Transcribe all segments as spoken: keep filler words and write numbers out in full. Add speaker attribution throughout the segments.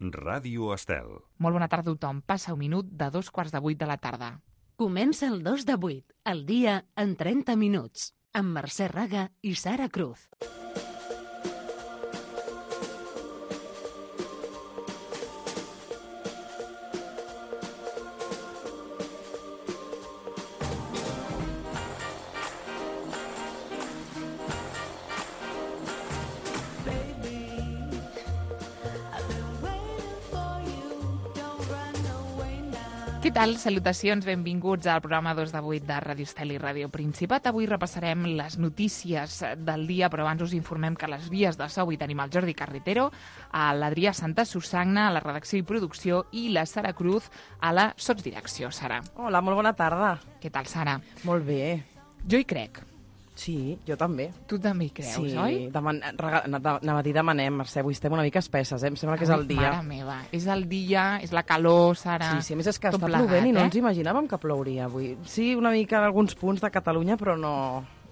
Speaker 1: Ràdio Estel.
Speaker 2: Molt bona tarda a tothom. Passa un minut de dos quarts de vuit de la tarda.
Speaker 3: Comença el dos de vuit, el dia en trenta minuts, amb Mercè Raga i Sara Cruz.
Speaker 2: Què tal? Salutacions, benvinguts al programa dos de vuit de Ràdio Estel i Ràdio Principat. Avui repassarem les notícies del dia, però abans us informem que a les vies de so avui tenim el Jordi Carretero, a l'Adrià Santa Susagna, a la redacció i producció, i la Sara Cruz a la sotsdirecció. Sara.
Speaker 4: Hola, molt bona tarda.
Speaker 2: Què tal, Sara?
Speaker 4: Molt bé.
Speaker 2: Jo hi crec.
Speaker 4: Sí, jo també.
Speaker 2: Tu també hi creus,
Speaker 4: sí,
Speaker 2: oi?
Speaker 4: Sí, deman... anava a dir demanem, Mercè, avui estem una mica espesses, eh? Em sembla que és el dia.
Speaker 2: Mare meva, és el dia, és la calor, Sara.
Speaker 4: Sí, sí, a més és que
Speaker 2: Tot
Speaker 4: està
Speaker 2: plegat,
Speaker 4: plovent i no
Speaker 2: eh?
Speaker 4: ens imaginàvem que plouria avui. Sí, una mica en alguns punts de Catalunya, però no...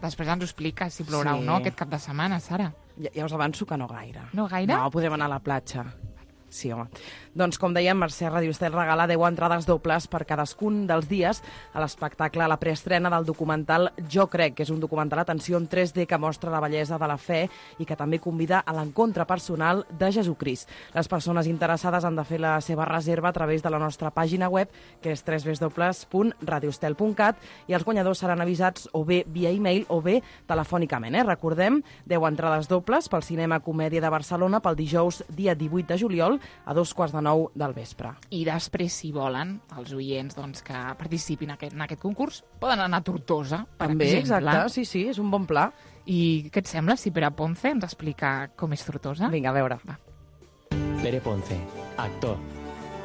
Speaker 2: Després ens ho expliques si plourà
Speaker 4: Sí.
Speaker 2: o no aquest cap de setmana, Sara.
Speaker 4: Ja, ja us avanço que no gaire.
Speaker 2: No gaire?
Speaker 4: No, podem anar a la platja. Sí, home. Doncs, com dèiem, Mercè Ràdio Estel regala deu entrades dobles per cadascun dels dies a l'espectacle, a la preestrena del documental Jo crec, que és un documental, atenció, en tres D que mostra la bellesa de la fe i que també convida a l'encontre personal de Jesucrist. Les persones interessades han de fer la seva reserva a través de la nostra pàgina web, que és w w w punt radioestel punt cat, i els guanyadors seran avisats o bé via e-mail o bé telefònicament. Eh? Recordem, deu entrades dobles pel Cinema Comèdia de Barcelona pel dijous, dia divuit de juliol, a dos quarts de nou del vespre.
Speaker 2: I després, si volen, els oients doncs, que participin en aquest, en aquest concurs, poden anar a Tortosa, per
Speaker 4: També,
Speaker 2: exemple.
Speaker 4: exacte, sí, sí, és un bon pla.
Speaker 2: I què et sembla si Pere Ponce ens explica com és Tortosa?
Speaker 4: Vinga, a veure.
Speaker 2: Va.
Speaker 5: Pere Ponce, actor.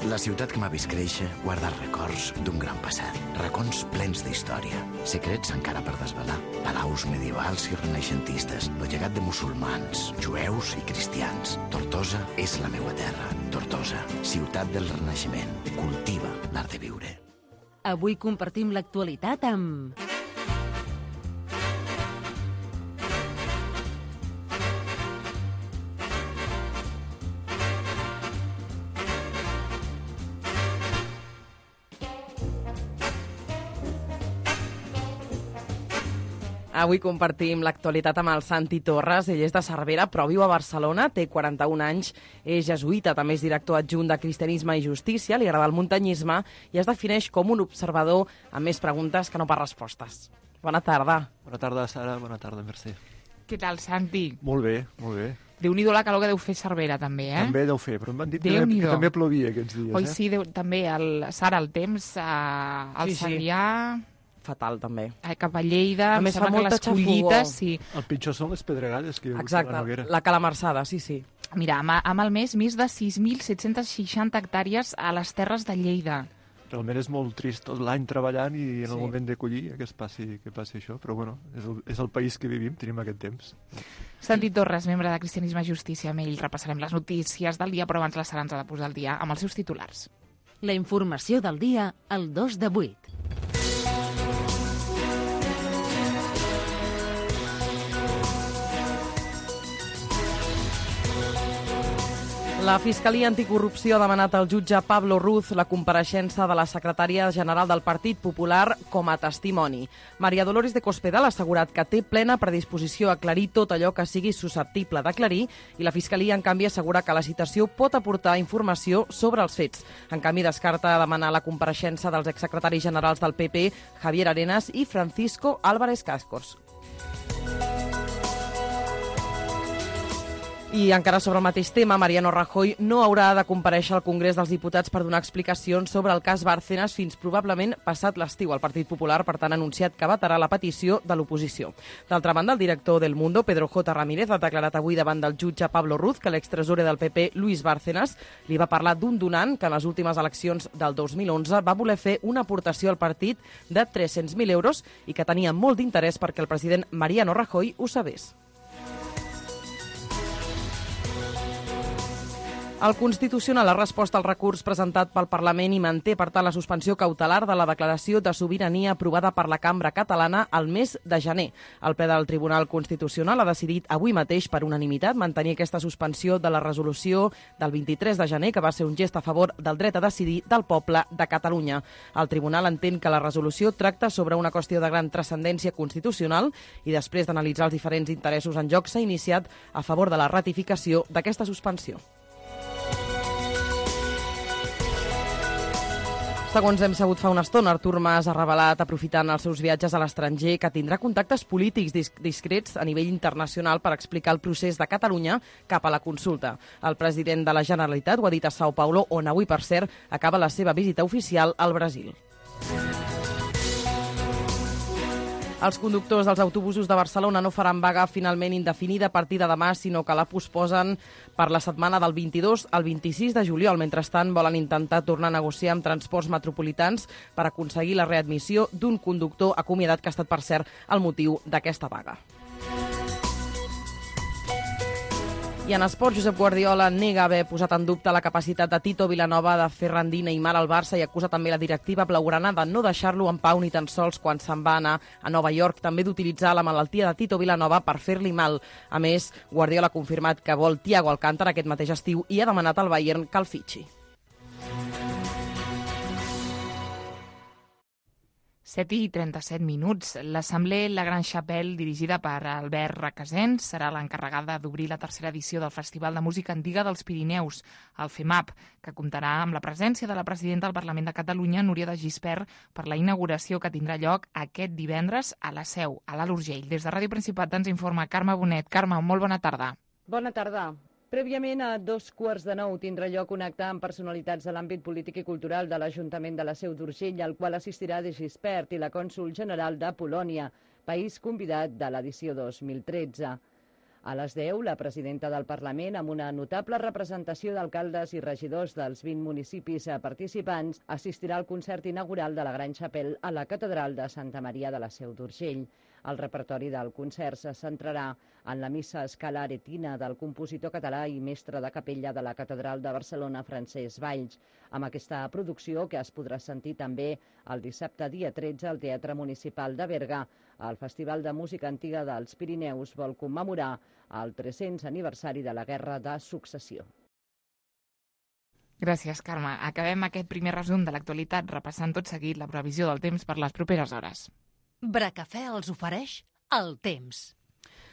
Speaker 6: La ciutat que m'ha vist créixer guarda records d'un gran passat, racons plens d'història, secrets encara per desvelar, palaus medievals i renaixentistes, el llegat de musulmans, jueus i cristians. Tortosa és la meua terra. Tortosa, ciutat del Renaixement, cultiva l'art de viure.
Speaker 3: Avui compartim l'actualitat amb...
Speaker 4: Avui compartim l'actualitat amb el Santi Torres. Ell és de Cervera, però viu a Barcelona, té quaranta-un anys, és jesuïta, també és director adjunt de Cristianisme i Justícia, li agrada el muntanyisme i es defineix com un observador amb més preguntes que no pas respostes. Bona tarda.
Speaker 7: Bona tarda, Sara. Bona tarda, Mercè.
Speaker 2: Què tal, Santi?
Speaker 7: Molt bé, molt bé.
Speaker 2: Déu-n'hi-do la calor que deu fer Cervera, també, eh?
Speaker 7: També deu fer, però m'han dit que,
Speaker 2: Déu-n'hi-do.
Speaker 7: que també plovia aquests dies.
Speaker 2: Oi,
Speaker 7: eh?
Speaker 2: sí, deu, també, el, Sara, el temps, eh, al
Speaker 4: Sí, sí.
Speaker 2: Sarrià,
Speaker 4: Fatal, també.
Speaker 2: eh, cap a Lleida,
Speaker 4: A
Speaker 2: em
Speaker 4: més,
Speaker 2: sembla
Speaker 4: fa
Speaker 2: que
Speaker 4: molta
Speaker 2: les collites,
Speaker 4: xafogor.
Speaker 2: sí.
Speaker 7: El pitjor són les pedregades que hi ha hagut a la
Speaker 4: Exacte,
Speaker 7: Noguera.
Speaker 4: la calamarsada, sí, sí.
Speaker 2: Mira, amb, amb el mes, més de sis mil set-cents seixanta hectàrees a les terres de Lleida.
Speaker 7: Realment és molt trist tot l'any treballant i en el
Speaker 4: Sí.
Speaker 7: moment de collir que es passi, que passi això, però bueno, és el, és el país que vivim, tenim aquest temps.
Speaker 2: Santi Torres, membre de Cristianisme i Justícia, amb ell repassarem les notícies del dia, però abans la Sara ens ha de posar al dia amb els seus titulars.
Speaker 3: La informació del dia al dos de vuit.
Speaker 4: La Fiscalia Anticorrupció ha demanat al jutge Pablo Ruz la compareixença de la secretària general del Partit Popular com a testimoni. Maria Dolores de Cospedal ha assegurat que té plena predisposició a aclarir tot allò que sigui susceptible d'aclarir i la Fiscalia, en canvi, assegura que la citació pot aportar informació sobre els fets. En canvi, descarta demanar la compareixença dels exsecretaris generals del P P, Javier Arenas i Francisco Álvarez Cascos. I encara sobre el mateix tema, Mariano Rajoy no haurà de comparèixer al Congrés dels Diputats per donar explicacions sobre el cas Bárcenas fins probablement passat l'estiu. El Partit Popular, per tant, ha anunciat que vetarà la petició de l'oposició. D'altra banda, el director del Mundo, Pedro J. Ramírez, ha declarat avui davant del jutge Pablo Ruz que l'extresorer del P P, Luis Bárcenas, li va parlar d'un donant que en les últimes eleccions del dos mil onze va voler fer una aportació al partit de tres-cents mil euros i que tenia molt d'interès perquè el president Mariano Rajoy ho sabés. El Constitucional ha respost al recurs presentat pel Parlament i manté, per tant, la suspensió cautelar de la declaració de sobirania aprovada per la Cambra catalana al mes de gener. El ple del Tribunal Constitucional ha decidit avui mateix per unanimitat mantenir aquesta suspensió de la resolució del vint-i-tres de gener, que va ser un gest a favor del dret a decidir del poble de Catalunya. El Tribunal entén que la resolució tracta sobre una qüestió de gran transcendència constitucional i després d'analitzar els diferents interessos en joc s'ha iniciat a favor de la ratificació d'aquesta suspensió. Segons hem sabut fa una estona, Artur Mas ha revelat, aprofitant els seus viatges a l'estranger, que tindrà contactes polítics discrets a nivell internacional per explicar el procés de Catalunya cap a la consulta. El president de la Generalitat ho ha dit a São Paulo, on avui, per cert, acaba la seva visita oficial al Brasil. Els conductors dels autobusos de Barcelona no faran vaga finalment indefinida a partir de demà, sinó que la posposen per la setmana del vint-i-dos al vint-i-sis de juliol. Mentrestant, volen intentar tornar a negociar amb transports metropolitans per aconseguir la readmissió d'un conductor acomiadat, que ha estat, per cert, el motiu d'aquesta vaga. I en esport, Josep Guardiola nega haver posat en dubte la capacitat de Tito Vilanova de fer rendir Neymar al Barça i acusa també la directiva blaugrana de no deixar-lo en pau ni tan sols quan se'n va anar a Nova York, també d'utilitzar la malaltia de Tito Vilanova per fer-li mal. A més, Guardiola ha confirmat que vol Thiago Alcántara aquest mateix estiu i ha demanat al Bayern que el fitxi.
Speaker 2: set i trenta-set minuts. L'Assemblea La Gran Chapelle, dirigida per Albert Requesens, serà l'encarregada d'obrir la tercera edició del Festival de Música Antiga dels Pirineus, el FEMAP, que comptarà amb la presència de la presidenta del Parlament de Catalunya, Núria de Gispert, per la inauguració que tindrà lloc aquest divendres a la Seu, a l'Alt Urgell. Des de Ràdio Principat ens informa Carme Bonet. Carme, molt bona tarda.
Speaker 1: Bona tarda. Prèviament, a dos quarts de nou, tindrà lloc un acte amb personalitats de l'àmbit polític i cultural de l'Ajuntament de la Seu d'Urgell, al qual assistirà de Gispert i la cònsol general de Polònia, país convidat de l'edició dos mil tretze. A les deu, la presidenta del Parlament, amb una notable representació d'alcaldes i regidors dels vint municipis participants, assistirà al concert inaugural de la Gran Chapelle a la Catedral de Santa Maria de la Seu d'Urgell. El repertori del concert se centrarà en la missa Scala Aretina del compositor català i mestre de capella de la Catedral de Barcelona, Francesc Valls. Amb aquesta producció, que es podrà sentir també el dissabte dia tretze al Teatre Municipal de Berga, el Festival de Música Antiga dels Pirineus vol commemorar el tres-cents aniversari de la Guerra de Successió.
Speaker 2: Gràcies, Carme. Acabem aquest primer resum de l'actualitat repassant tot seguit la previsió del temps per les properes hores.
Speaker 3: Bracafè els ofereix el temps.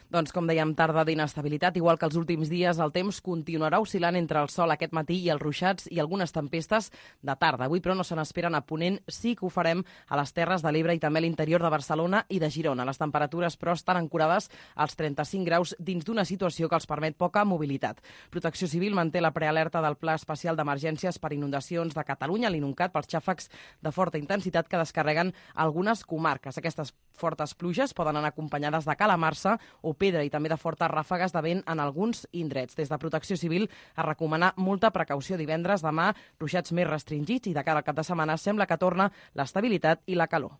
Speaker 4: Doncs, com dèiem, tarda d'inestabilitat. Igual que els últims dies, el temps continuarà oscil·lant entre el sol aquest matí i els ruixats i algunes tempestes de tarda. Avui, però, no se n'esperen a Ponent. Sí que ho farem a les Terres de l'Ebre i també a l'interior de Barcelona i de Girona. Les temperatures, però, estan ancorades als trenta-cinc graus dins d'una situació que els permet poca mobilitat. Protecció Civil manté la prealerta del Pla Especial d'Emergències per inundacions de Catalunya, l'INUNCAT, pels xàfecs de forta intensitat que descarreguen algunes comarques. Aquestes fortes pluges poden anar acompanyades de calamarsa o pedra i també de fortes ràfegues de vent en alguns indrets. Des de Protecció Civil a recomanar molta precaució divendres, demà, ruixats més restringits i de cara al cap de setmana sembla que torna l'estabilitat i la calor.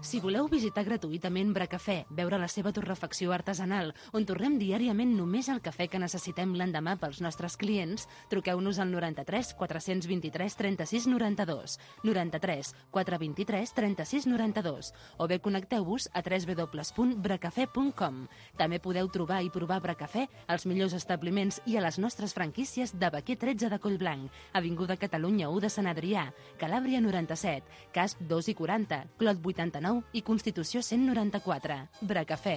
Speaker 3: Si voleu visitar gratuïtament Bracafè, veure la seva torrefacció artesanal, on torrem diàriament només el cafè que necessitem l'endemà pels nostres clients, truqueu-nos al noranta-tres quatre-cents vint-i-tres trenta-sis noranta-dos, noranta-tres quatre vint-i-tres trenta-sis noranta-dos, o bé connecteu-vos a w w w punt bracafè punt com. També podeu trobar i provar Bracafè als millors establiments i a les nostres franquícies de Baquer tretze de Collblanc, Avinguda Catalunya u de Sant Adrià, Calàbria noranta-set, Casp dos i quaranta, Clot vuitanta-nou i Constitució cent noranta-quatre. Bracafè.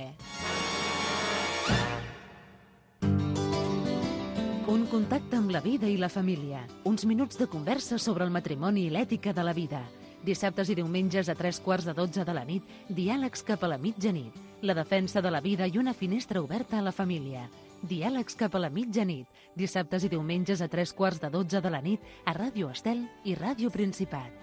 Speaker 3: Un contacte amb la vida i la família. Uns minuts de conversa sobre el matrimoni i l'ètica de la vida. Dissabtes i diumenges a tres quarts de dotze de la nit, diàlegs cap a la mitjanit. La defensa de la vida i una finestra oberta a la família. Diàlegs cap a la mitjanit. Dissabtes i diumenges a tres quarts de dotze de la nit a Ràdio Estel i Ràdio Principat.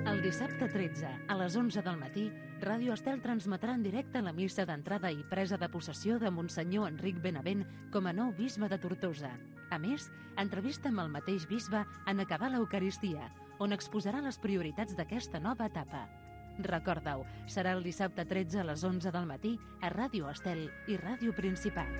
Speaker 3: El dissabte tretze, a les onze del matí, Ràdio Estel transmetrà en directe la missa d'entrada i presa de possessió de Monsenyor Enric Benavent com a nou bisbe de Tortosa. A més, entrevista amb el mateix bisbe en acabar l'Eucaristia, on exposarà les prioritats d'aquesta nova etapa. Recorda-ho, serà el dissabte tretze a les onze del matí a Ràdio Estel i Ràdio Principat.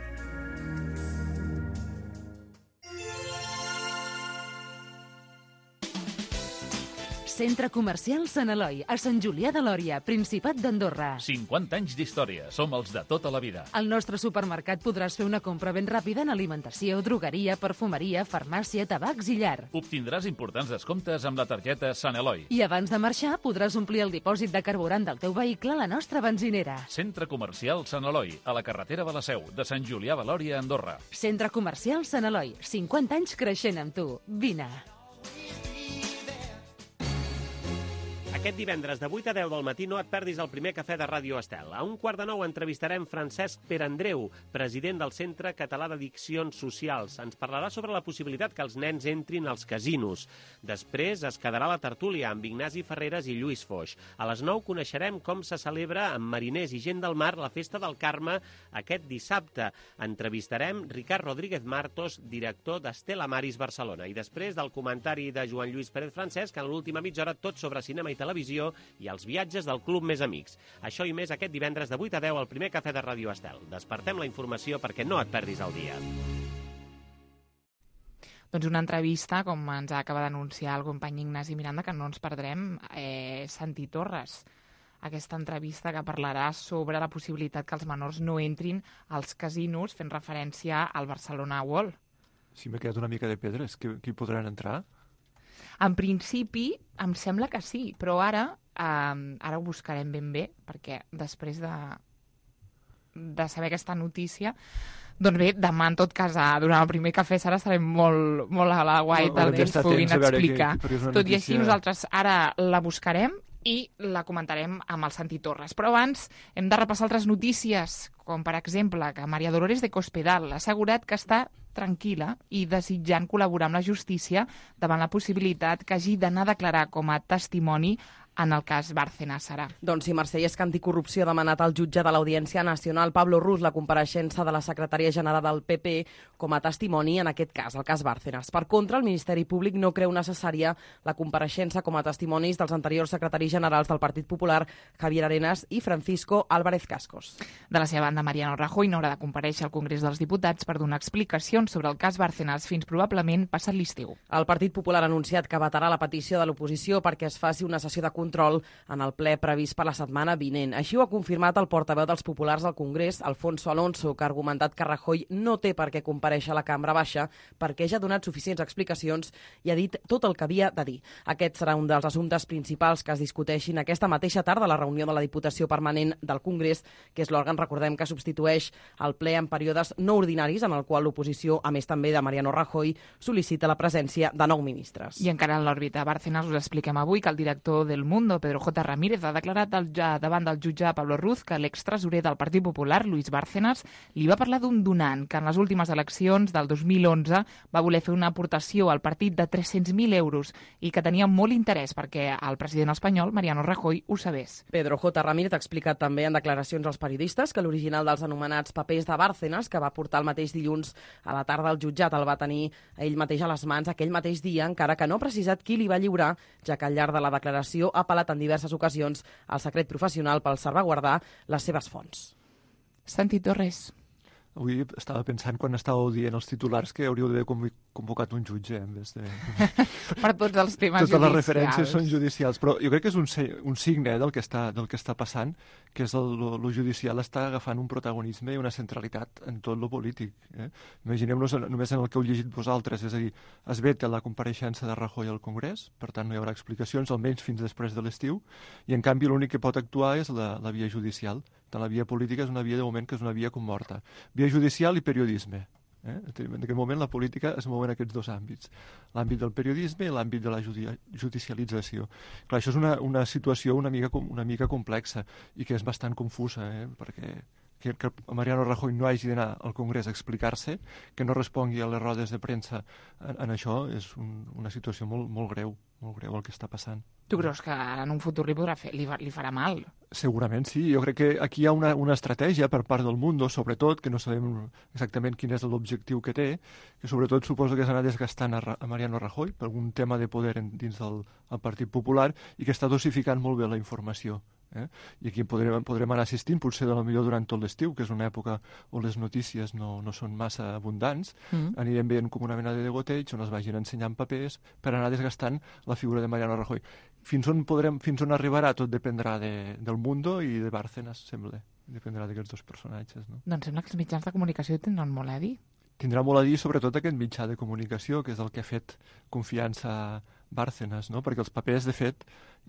Speaker 3: Centre Comercial Sant Eloi, a Sant Julià de Lòria, Principat d'Andorra.
Speaker 8: cinquanta anys d'història. Som els de tota la vida.
Speaker 3: Al nostre supermercat podràs fer una compra ben ràpida en alimentació, drogueria, perfumeria, farmàcia, tabacs i llar.
Speaker 8: Obtindràs importants descomptes amb la targeta Sant Eloi.
Speaker 3: I abans de marxar podràs omplir el dipòsit de carburant del teu vehicle a la nostra benzinera.
Speaker 8: Centre Comercial Sant Eloi, a la carretera de la Seu, de Sant Julià de Lòria, Andorra.
Speaker 3: Centre Comercial Sant Eloi, cinquanta anys creixent amb tu. Vine.
Speaker 9: Aquest divendres de vuit a deu del matí no et perdis el primer cafè de Ràdio Estel. A un quart de nou entrevistarem Francesc Perandreu, president del Centre Català d'Addiccions Socials. Ens parlarà sobre la possibilitat que els nens entrin als casinos. Després es quedarà la tertúlia amb Ignasi Ferreres i Lluís Foix. A les nou coneixerem com se celebra amb mariners i gent del mar la Festa del Carme aquest dissabte. Entrevistarem Ricard Rodríguez Martos, director d'Estela Maris Barcelona. I després del comentari de Joan Lluís Pérez Francesc, en l'última mitja hora tot sobre cinema i televisió i els viatges del Club Més Amics. Això i més aquest divendres de vuit a deu al primer cafè de Ràdio Estel. Despertem la informació perquè no et perdis el dia.
Speaker 2: Doncs una entrevista, com ens acaba d'anunciar el company Ignasi Miranda, que no ens perdrem, eh, Santi Torres. Aquesta entrevista que parlarà sobre la possibilitat que els menors no entrin als casinos, fent referència al Barcelona World.
Speaker 7: Sí, m'he quedat una mica de pedres. Que, que hi podran entrar?
Speaker 2: En principi, em sembla que sí, però ara eh, ara ho buscarem ben bé, perquè després de, de saber aquesta notícia, doncs bé, demà, en tot cas, durant el primer cafè, Sara, estarem molt, molt a la guaita, que ens puguin explicar. Que, tot i així, nosaltres ara la buscarem i la comentarem amb el Santi Torres. Però abans hem de repassar altres notícies, com per exemple que Maria Dolores de Cospedal ha assegurat que està tranquil·la i desitjant col·laborar amb la justícia davant la possibilitat que hagi d'anar a declarar com a testimoni en el cas Bárcenas, Sara.
Speaker 4: Doncs sí, Mercè, és que Anticorrupció ha demanat al jutge de l'Audiència Nacional, Pablo Ruz, la compareixença de la secretària general del P P com a testimoni en aquest cas, el cas Bárcenas. Per contra, el Ministeri Públic no creu necessària la compareixença com a testimonis dels anteriors secretaris generals del Partit Popular, Javier Arenas i Francisco Álvarez Cascos.
Speaker 2: De la seva banda, Mariano Rajoy no haurà de comparèixer al Congrés dels Diputats per donar explicacions sobre el cas Bárcenas fins probablement passat l'estiu.
Speaker 4: El Partit Popular ha anunciat que vetarà la petició de l'oposició perquè es faci una sessió de control en el ple previst per la setmana vinent. Així ho ha confirmat el portaveu dels populars al Congrés, Alfonso Alonso, que ha argumentat que Rajoy no té per què comparèixer a la Cambra Baixa perquè ja ha donat suficients explicacions i ha dit tot el que havia de dir. Aquest serà un dels assumptes principals que es discuteixin aquesta mateixa tarda a la reunió de la Diputació Permanent del Congrés, que és l'òrgan, recordem, que substitueix el ple en períodes no ordinaris, en el qual l'oposició, a més també de Mariano Rajoy, sol·licita la presència de nou ministres.
Speaker 2: I encara en l'òrbita Bárcenas us expliquem avui que el director del Mundo, Pedro J. Ramírez, ha declarat el, ja, davant del jutge Pablo Ruz que l'extresorer del Partit Popular, Luis Bárcenas, li va parlar d'un donant que en les últimes eleccions del dos mil onze va voler fer una aportació al partit de tres-cents mil euros i que tenia molt interès perquè el president espanyol, Mariano Rajoy, ho sabés.
Speaker 4: Pedro J. Ramírez ha explicat també en declaracions als periodistes que l'original dels anomenats papers de Bárcenas, que va portar el mateix dilluns a la tarda al jutjat, el va tenir ell mateix a les mans aquell mateix dia, encara que no ha precisat qui li va lliurar, ja que al llarg de la declaració ha apel·lat en diverses ocasions al secret professional per salvaguardar les seves fonts.
Speaker 2: Santi Torres.
Speaker 7: Avui estava pensant, quan estàveu dient els titulars, que hauríeu d'haver convocat un jutge en vez de...
Speaker 2: per tots els temes
Speaker 7: Totes
Speaker 2: judicials.
Speaker 7: les referències són judicials, però jo crec que és un, un signe eh, del, que està, del que està passant, que és el, lo, lo judicial està agafant un protagonisme i una centralitat en tot lo polític. Eh? Imaginem-nos només en el que heu llegit vosaltres, és a dir, es veta la compareixença de Rajoy al Congrés, per tant no hi haurà explicacions, almenys fins després de l'estiu, i en canvi l'únic que pot actuar és la, la via judicial. Tant la via política és una via de moment que és una via com morta. Via judicial i periodisme. Eh? En aquest moment la política es mou en aquests dos àmbits. L'àmbit del periodisme i l'àmbit de la judi judicialització. Clar, això és una, una situació una mica, una mica complexa i que és bastant confusa, eh? perquè que, que Mariano Rajoy no hagi d'anar al Congrés a explicar-se, que no respongui a les rodes de premsa en, en això, és un, una situació molt, molt greu, molt greu el que està passant.
Speaker 2: Tu creus que en un futur li, podrà fer, li, li farà mal?
Speaker 7: Segurament sí. Jo crec que aquí hi ha una, una estratègia per part del Mundo, sobretot, que no sabem exactament quin és l'objectiu que té, que sobretot suposo que és anar desgastant a, a Mariano Rajoy per algun tema de poder en, dins del el Partit Popular i que està dosificant molt bé la informació. Eh? I aquí podrem, podrem anar assistint, potser de la millor durant tot l'estiu, que és una època on les notícies no, no són massa abundants, mm. anirem veient com una mena de degoteig on es vagin ensenyant papers per anar desgastant la figura de Mariano Rajoy. Fins on, podrem, fins on arribarà tot dependrà de, del Mundo i de Bárcenas, sembla. Dependrà d'aquests dos personatges. No?
Speaker 2: Doncs sembla que els mitjans de comunicació tindran molt a dir.
Speaker 7: Tindrà molt a dir sobretot aquest mitjà de comunicació, que és el que ha fet confiança a Bárcenas, no? Perquè els papers, de fet,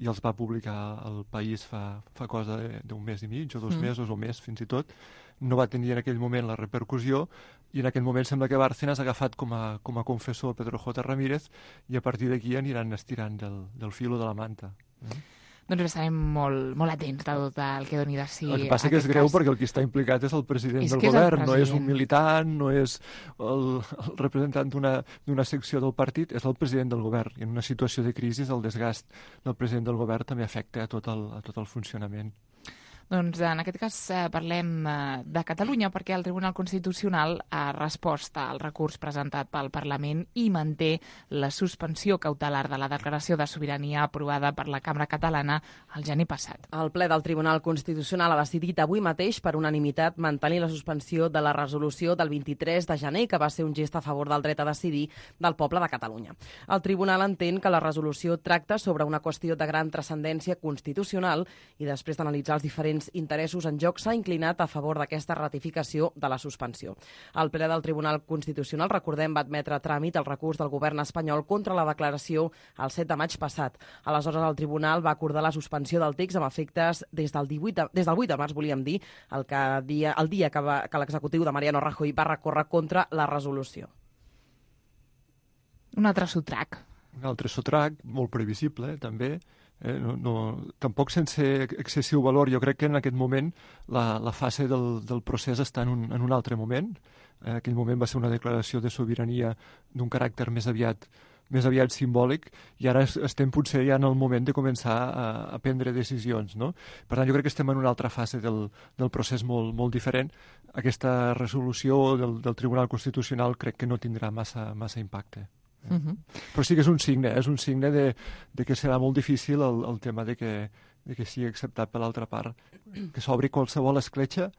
Speaker 7: i els va publicar el País fa, fa cosa d'un mes i mig, o dos mm. mesos, o més fins i tot, no va tenir en aquell moment la repercussió, i en aquell moment sembla que Bárcenas ha agafat com a, com a confessor Pedro J. Ramírez, i a partir d'aquí aniran estirant del, del filo de la manta. Eh?
Speaker 2: Doncs estarem molt, molt atents de tot el que doni de si...
Speaker 7: El que passa que és greu cas. Perquè el que està implicat és el president és del govern, president. No és un militant, no és el, el representant d'una secció del partit, és el president del govern. I en una situació de crisi el desgast del president del govern també afecta a tot el, a tot el funcionament.
Speaker 2: Doncs en aquest cas eh, parlem eh, de Catalunya perquè el Tribunal Constitucional ha respost al recurs presentat pel Parlament i manté la suspensió cautelar de la declaració de sobirania aprovada per la Cambra Catalana el gener passat.
Speaker 4: El ple del Tribunal Constitucional ha decidit avui mateix per unanimitat mantenir la suspensió de la resolució del vint-i-tres de gener que va ser un gest a favor del dret a decidir del poble de Catalunya. El Tribunal entén que la resolució tracta sobre una qüestió de gran transcendència constitucional i després d'analitzar els diferents interessos en joc s'ha inclinat a favor d'aquesta ratificació de la suspensió. El ple del Tribunal Constitucional, recordem, va admetre a tràmit el recurs del govern espanyol contra la declaració el set de maig passat. Aleshores, el Tribunal va acordar la suspensió del text amb efectes des del, divuit de, des del vuit de març, volíem dir, el, que dia, el dia que, va, que l'executiu de Mariano Rajoy va recórrer contra la resolució.
Speaker 2: Un altre sotrac.
Speaker 7: Un altre sotrac, molt previsible, eh, també. Eh, no, no, tampoc sense excessiu valor. Jo crec que en aquest moment la, la fase del, del procés està en un, en un altre moment. En aquell moment va ser una declaració de sobirania d'un caràcter més aviat més aviat simbòlic, i ara estem potser ja en el moment de començar a, a prendre decisions, no? Per tant, jo crec que estem en una altra fase del, del procés molt, molt diferent. Aquesta resolució del, del Tribunal Constitucional crec que no tindrà massa, massa impacte. Uh -huh. Però sí que és un signe, és un signe de, de que serà molt difícil el, el tema de que, de que sigui acceptat per l'altra part, que s'obri qualsevol escletxa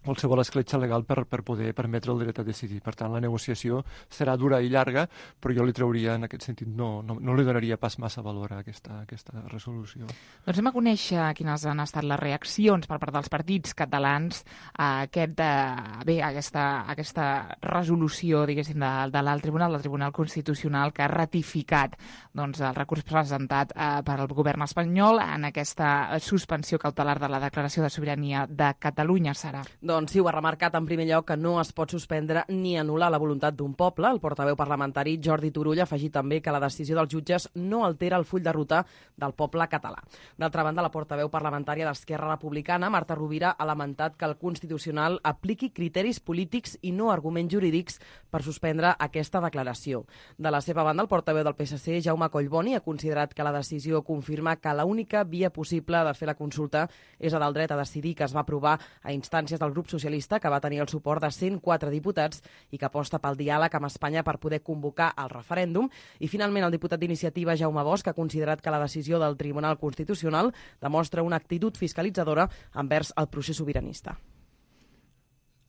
Speaker 7: qualsevol escletxa legal per, per poder permetre el dret a decidir. Per tant, la negociació serà dura i llarga, però jo li trauria, en aquest sentit, no, no, no li donaria pas massa valor a aquesta, a aquesta resolució.
Speaker 2: Doncs anem a conèixer quines han estat les reaccions per part dels partits catalans a, aquest, a, bé, a, aquesta, a aquesta resolució, diguéssim, de, de l'alt tribunal, del Tribunal Constitucional, que ha ratificat doncs, el recurs presentat eh, per al govern espanyol en aquesta suspensió cautelar de la declaració de sobirania de Catalunya, Sara.
Speaker 4: Doncs sí, ho ha remarcat en primer lloc que no es pot suspendre ni anul·lar la voluntat d'un poble. El portaveu parlamentari Jordi Turull ha afegit també que la decisió dels jutges no altera el full de ruta del poble català. D'altra banda, la portaveu parlamentària d'Esquerra Republicana, Marta Rovira, ha lamentat que el Constitucional apliqui criteris polítics i no arguments jurídics per suspendre aquesta declaració. De la seva banda, el portaveu del P S C, Jaume Collboni, ha considerat que la decisió confirma que l'única via possible de fer la consulta és la del dret a decidir, que es va aprovar a instàncies del grup socialista, que va tenir el suport de cent quatre diputats i que aposta pel diàleg amb Espanya per poder convocar el referèndum. I finalment el diputat d'Iniciativa, Jaume Bosch, ha considerat que la decisió del Tribunal Constitucional demostra una actitud fiscalitzadora envers el procés sobiranista.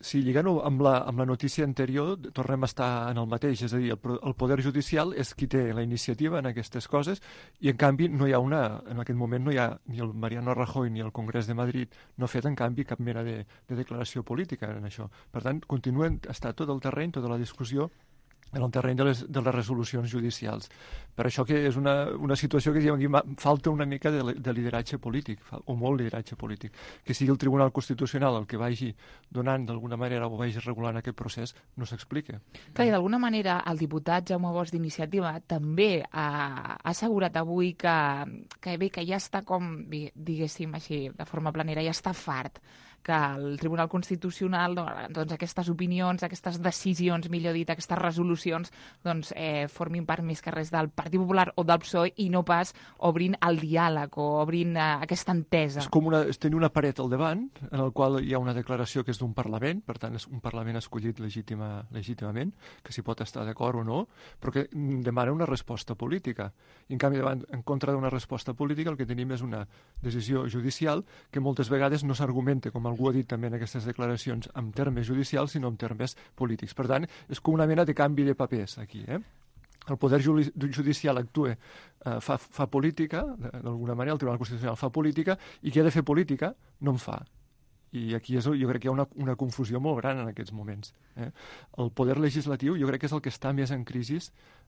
Speaker 7: Sí, lligant-ho amb la, amb la notícia anterior, tornem a estar en el mateix, és a dir, el, el Poder Judicial és qui té la iniciativa en aquestes coses i, en canvi, no hi ha una, en aquest moment no hi ha ni el Mariano Rajoy ni el Congrés de Madrid no ha fet, en canvi, cap mena de, de declaració política en això. Per tant, continuen a estar tot el terreny, tota la discussió, en el terreny de les, de les resolucions judicials. Per això que és una, una situació que diguem, aquí falta una mica de, de lideratge polític, o molt lideratge polític. Que sigui el Tribunal Constitucional el que vagi donant d'alguna manera o vagi regulant aquest procés, no s'explica.
Speaker 2: Clar, i d'alguna manera el diputat Jaume Bosch d'Iniciativa també ha, ha assegurat avui que, que bé, que ja està com, diguéssim així, de forma planera, ja està fart que el Tribunal Constitucional, doncs aquestes opinions, aquestes decisions, millor dit, aquestes resolucions, doncs eh, formin part més que res del Partit Popular o del P S O E i no pas obrint el diàleg o obrint eh, aquesta entesa.
Speaker 7: És com una, és tenir una paret al davant en el qual hi ha una declaració que és d'un Parlament, per tant és un Parlament escollit legítima, legítimament, que s'hi pot estar d'acord o no, però que demana una resposta política. I en canvi, davant, en contra d'una resposta política, el que tenim és una decisió judicial que moltes vegades no s'argumenta, com algú ha dit també en aquestes declaracions, en termes judicials, sinó en termes polítics. Per tant, és com una mena de canvi de papers aquí, eh? El poder judicial actua, eh, fa, fa política, d'alguna manera, el Tribunal Constitucional fa política, i qui ha de fer política no en fa. I aquí és, jo crec que hi ha una, una confusió molt gran en aquests moments. Eh? El poder legislatiu jo crec que és el que està més en crisi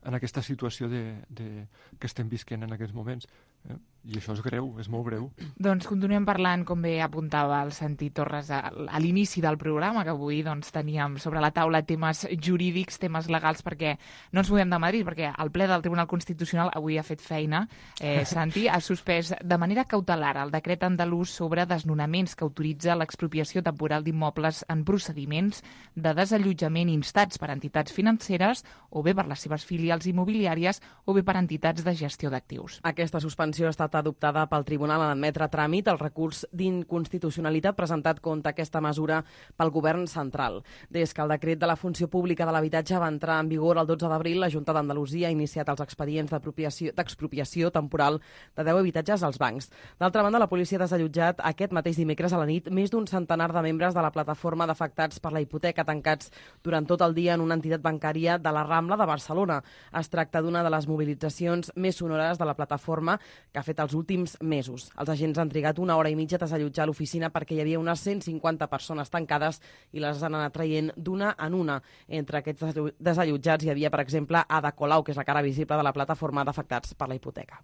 Speaker 7: en aquesta situació de, de, que estem visquent en aquests moments. Eh? I això és greu, és molt greu.
Speaker 2: Doncs continuem parlant, com bé apuntava el Santi Torres a, a l'inici del programa, que avui doncs, teníem sobre la taula temes jurídics, temes legals, perquè no ens movem de Madrid, perquè el ple del Tribunal Constitucional avui ha fet feina. Eh, Santi ha suspès de manera cautelar el decret andalús sobre desnonaments que autoritza l'expropiació temporal d'immobles en procediments de desallotjament instats per entitats financeres o bé per les seves filials immobiliàries o bé per entitats de gestió d'actius.
Speaker 4: Aquesta suspensió ha estat adoptada pel Tribunal en admetre a tràmit el recurs d'inconstitucionalitat presentat contra aquesta mesura pel Govern central. Des que el decret de la funció pública de l'habitatge va entrar en vigor el dotze d'abril, la Junta d'Andalusia ha iniciat els expedients d'expropiació temporal de deu habitatges als bancs. D'altra banda, la policia ha desallotjat aquest mateix dimecres a la nit més d'un centenar de membres de la plataforma d'afectats per la hipoteca tancats durant tot el dia en una entitat bancària de la Rambla de Barcelona. Es tracta d'una de les mobilitzacions més sonores de la plataforma que ha fet els últims mesos. Els agents han trigat una hora i mitja a desallotjar l'oficina perquè hi havia unes cent cinquanta persones tancades i les han anat traient d'una en una. Entre aquests desallotjats hi havia, per exemple, Ada Colau, que és la cara visible de la plataforma d'afectats per la hipoteca.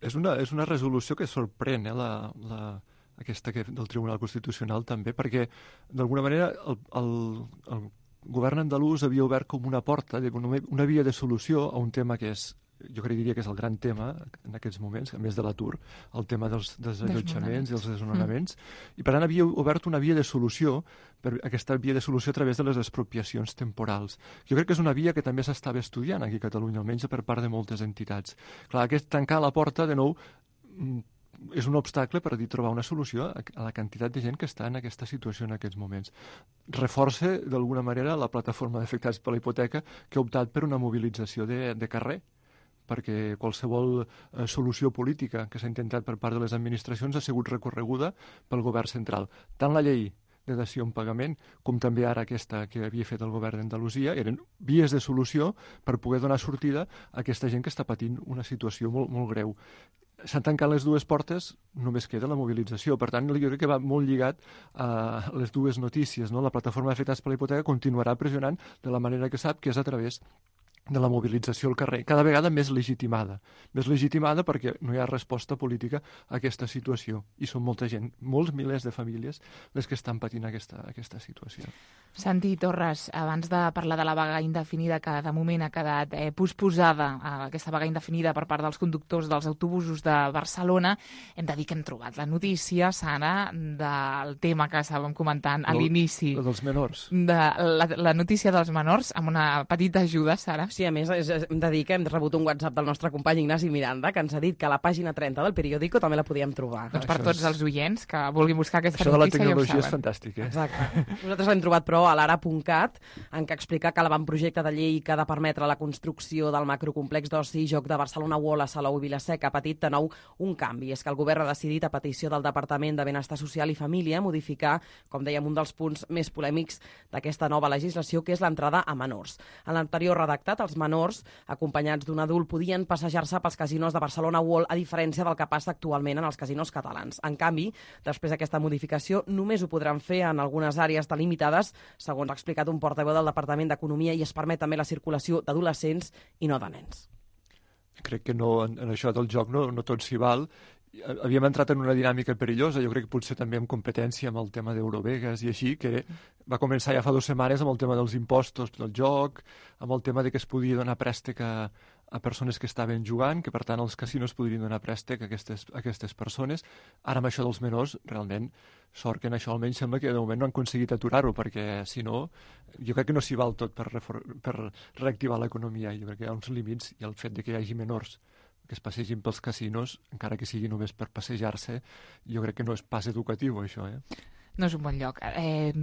Speaker 7: És una, és una resolució que sorprèn, eh, la, la, aquesta que, del Tribunal Constitucional també, perquè d'alguna manera el, el, el govern andalús havia obert com una porta, una via de solució a un tema que és, jo crec diria que és el gran tema en aquests moments, a més de l'atur, el tema dels desallotjaments i els desnonaments, mm. i per tant havia obert una via de solució, per aquesta via de solució a través de les expropiacions temporals. Jo crec que és una via que també s'estava estudiant aquí a Catalunya, almenys per part de moltes entitats. Clar, aquest tancar la porta, de nou, és un obstacle per dir trobar una solució a la quantitat de gent que està en aquesta situació en aquests moments. Reforça, d'alguna manera, la plataforma d'afectats per la hipoteca que ha optat per una mobilització de, de carrer, perquè qualsevol eh, solució política que s'ha intentat per part de les administracions ha sigut recorreguda pel govern central. Tant la llei de dació en pagament com també ara aquesta que havia fet el govern d'Andalusia eren vies de solució per poder donar sortida a aquesta gent que està patint una situació molt, molt greu. S'han tancat les dues portes, només queda la mobilització. Per tant, jo crec que va molt lligat a les dues notícies, no? La plataforma d'afectats per la hipoteca continuarà pressionant de la manera que sap, que és a través de la mobilització al carrer, cada vegada més legitimada. Més legitimada perquè no hi ha resposta política a aquesta situació. I són molta gent, molts milers de famílies, les que estan patint aquesta, aquesta situació.
Speaker 2: Santi Torres, abans de parlar de la vaga indefinida que de moment ha quedat eh, posposada, eh, aquesta vaga indefinida per part dels conductors dels autobusos de Barcelona, hem de dir que hem trobat la notícia, Sara, del tema que estàvem comentant a l'inici.
Speaker 7: La dels menors.
Speaker 2: De la, la notícia dels menors, amb una petita ajuda, Sara.
Speaker 4: Sí, a més, és, hem de dir que hem rebut un WhatsApp del nostre company Ignasi Miranda, que ens ha dit que a la pàgina trenta del periòdico també la podíem trobar.
Speaker 2: Doncs per tots els oients que vulguin buscar aquesta
Speaker 7: Això
Speaker 2: notícia ja ho saben.
Speaker 7: Això de la tecnologia és fantàstic, eh?
Speaker 4: Exacte. Nosaltres l'hem trobat, però, a l'ara punt cat, en què explica que l'avantprojecte de llei que ha de permetre la construcció del macrocomplex d'oci i joc de Barcelona World a Salou i Vila-seca ha patit de nou un canvi. És que el govern ha decidit, a petició del Departament de Benestar Social i Família, modificar, com dèiem, un dels punts més polèmics d'aquesta nova legislació, que és l'entrada a menors. En l'anterior redactat, els menors, acompanyats d'un adult, podien passejar-se pels casinos de Barcelona World, a diferència del que passa actualment en els casinos catalans. En canvi, després d'aquesta modificació, només ho podran fer en algunes àrees delimitades, segons ha explicat un portaveu del Departament d'Economia, i es permet també la circulació d'adolescents i no de nens.
Speaker 7: Crec que no, en, en això del joc no, no tot s'hi val. Havíem entrat en una dinàmica perillosa, jo crec que potser també en competència amb el tema d'Eurovegas i així, que va començar ja fa dues setmanes amb el tema dels impostos del joc, amb el tema de que es podia donar préstec a, a persones que estaven jugant, que per tant els casinos podrien donar préstec a aquestes, a aquestes persones. Ara amb això dels menors, realment, sort que en això almenys sembla que de moment no han aconseguit aturar-ho, perquè si no, jo crec que no s'hi val tot per, refor- per reactivar l'economia. Jo crec que hi ha uns límits i el fet de que hi hagi menors que es passegin pels casinos, encara que sigui només per passejar-se, jo crec que no és pas educatiu, això, eh?
Speaker 2: No és un bon lloc. Eh,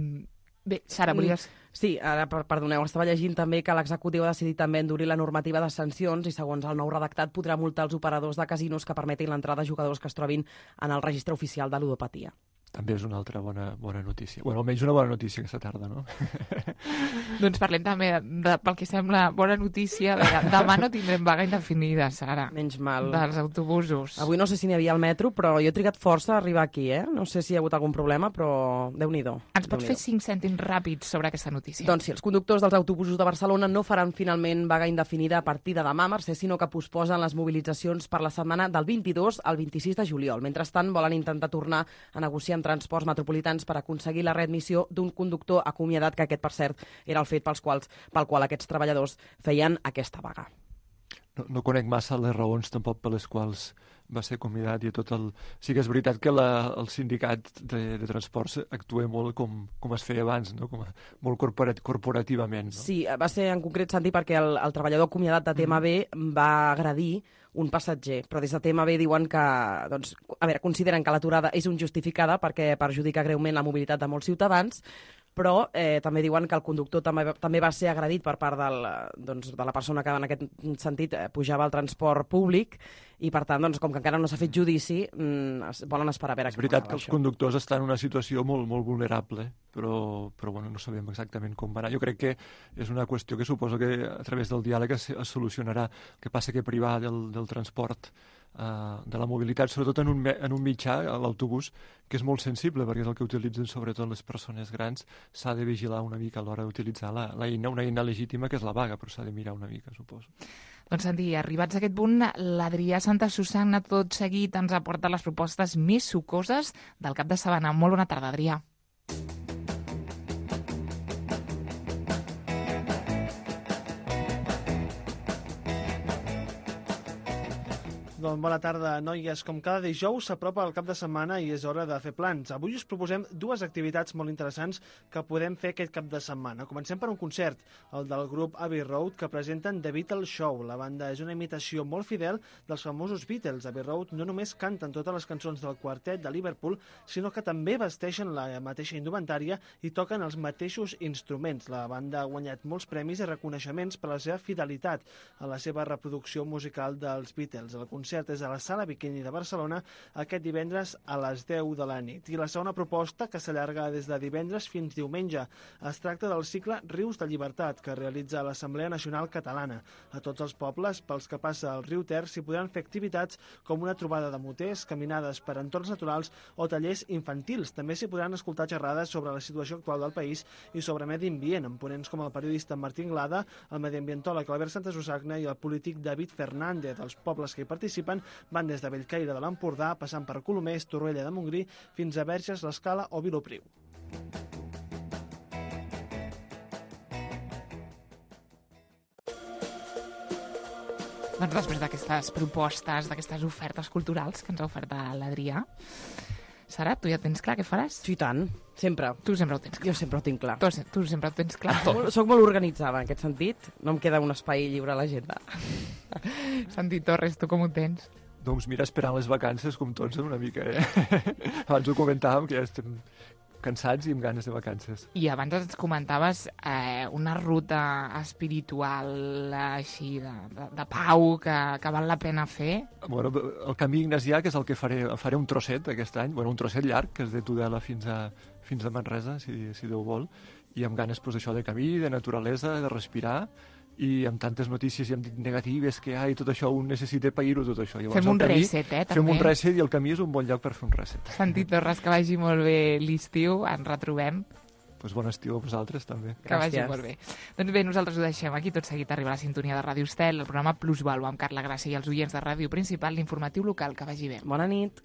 Speaker 2: bé, Sara, volies...
Speaker 4: Sí, ara, perdoneu, estava llegint també que l'executiu ha decidit també endurir la normativa de sancions i, segons el nou redactat, podrà multar els operadors de casinos que permetin l'entrada de jugadors que es trobin en el registre oficial de ludopatia.
Speaker 7: També és una altra bona, bona notícia. Bueno, almenys una bona notícia aquesta tarda, no?
Speaker 2: Doncs parlem també, de, pel que sembla, bona notícia. De, demà no tindrem vaga indefinida, Sara.
Speaker 4: Menys mal.
Speaker 2: Dels autobusos.
Speaker 4: Avui no sé si n'hi havia al metro, però jo he trigat força a arribar aquí, eh? No sé si hi ha hagut algun problema, però Déu-n'hi-do.
Speaker 2: Ens pots fer cinc cèntims ràpids sobre aquesta notícia?
Speaker 4: Doncs sí, els conductors dels autobusos de Barcelona no faran finalment vaga indefinida a partir de demà, Mercè, sinó que posposen les mobilitzacions per la setmana del vint-i-dos al vint-i-sis de juliol. Mentrestant, volen intentar tornar a negociar amb transports metropolitans per aconseguir la readmissió d'un conductor acomiadat, que aquest, per cert, era el fet pels quals, pel qual aquests treballadors feien aquesta vaga.
Speaker 7: No, no conec massa les raons tampoc per les quals va ser acomiadat i tot el... Sí que és veritat que la, el sindicat de, de transports actua molt com, com es feia abans, no? Com a, molt corporat, corporativament. No?
Speaker 4: Sí, va ser en concret, Santi, perquè el, el treballador acomiadat de T M B mm. va agredir un passatger, però des de T M B diuen que, doncs, a veure, consideren que l'aturada és injustificada perquè perjudica greument la mobilitat de molts ciutadans, però eh, també diuen que el conductor també, també va ser agredit per part del, doncs, de la persona que en aquest sentit eh, pujava al transport públic i, per tant, doncs, com que encara no s'ha fet judici, mm, es, volen esperar a veure...
Speaker 7: És veritat que els això. conductors estan en una situació molt, molt vulnerable, però, però bueno, no sabem exactament com va anar. Jo crec que és una qüestió que suposo que a través del diàleg es, es solucionarà. El que passa que privar del, del transport, Uh, de la mobilitat, sobretot en un, en un mitjà, l'autobús, que és molt sensible perquè és el que utilitzen sobretot les persones grans, s'ha de vigilar una mica a l'hora d'utilitzar la, la eina, una eina legítima que és la vaga, però s'ha de mirar una mica, suposo.
Speaker 2: Doncs, Santi, arribats a aquest punt, l'Adrià Santa Susanna tot seguit ens aporta les propostes més sucoses del cap de setmana. Molt bona tarda, Adrià.
Speaker 10: Doncs bona tarda, noies. Com cada dijous s'apropa el cap de setmana i és hora de fer plans. Avui us proposem dues activitats molt interessants que podem fer aquest cap de setmana. Comencem per un concert, el del grup Abbey Road, que presenten The Beatles Show. La banda és una imitació molt fidel dels famosos Beatles. Abbey Road no només canten totes les cançons del quartet de Liverpool, sinó que també vesteixen la mateixa indumentària i toquen els mateixos instruments. La banda ha guanyat molts premis i reconeixements per la seva fidelitat a la seva reproducció musical dels Beatles. El concert és a la Sala Bikini de Barcelona aquest divendres a les deu de la nit. I la segona proposta, que s'allarga des de divendres fins diumenge, es tracta del cicle Rius de Llibertat, que realitza l'Assemblea Nacional Catalana. A tots els pobles pels que passa el riu Ter s'hi podran fer activitats com una trobada de moters, caminades per entorns naturals o tallers infantils. També s'hi podran escoltar xerrades sobre la situació actual del país i sobre medi ambient, amb ponents com el periodista Martí Anglada, el mediambientòleg Albert Santa Susanna i el polític David Fernández. Els pobles que hi participen van des de Bellcaire de l'Empordà, passant per Colomers, Torroella de Montgrí, fins a Verges, l'Escala o Vilopriu.
Speaker 2: Doncs després d'aquestes propostes, d'aquestes ofertes culturals que ens ha ofert l'Adrià, Sara, tu ja tens clar què faràs?
Speaker 4: Sí, tant. Sempre.
Speaker 2: Tu sempre ho tens clar.
Speaker 4: Jo sempre ho tinc clar.
Speaker 2: Tu, tu sempre ho tens clar.
Speaker 4: Soc, soc molt organitzada en aquest sentit. No em queda un espai lliure a l'agenda.
Speaker 2: Santi Torres, tu com ho tens?
Speaker 7: Doncs mira, esperant les vacances, com tots, una mica, eh? Abans ho comentàvem, que ja estem cansats i amb ganes de vacances.
Speaker 2: I abans ens comentaves eh, una ruta espiritual així de, de, de pau que, que val la pena fer.
Speaker 7: Bueno, el camí ignasià, que és el que faré, faré un trosset aquest any, bueno, un trosset llarg, que és de Tudela fins a, fins a Manresa, si, si Déu vol, i amb ganes pues, això de camí, de naturalesa, de respirar, i amb tantes notícies i amb negatives que hi ha i tot això, un necessita pair-ho tot això. Llavors,
Speaker 2: fem un
Speaker 7: camí,
Speaker 2: reset, eh, també.
Speaker 7: Fem un reset i el camí és un bon lloc per fer un reset.
Speaker 2: Santi Torres, que vagi molt bé l'estiu, ens retrobem.
Speaker 7: Pues bon estiu a vosaltres, també.
Speaker 2: Que Gràcies. Vagi molt bé. Doncs bé, nosaltres ho deixem aquí, tot seguit arriba la sintonia de Ràdio Estel, el programa Plusvalua amb Carla Gràcia i els oients de Ràdio Principal, l'informatiu local. Que vagi bé.
Speaker 4: Bona nit.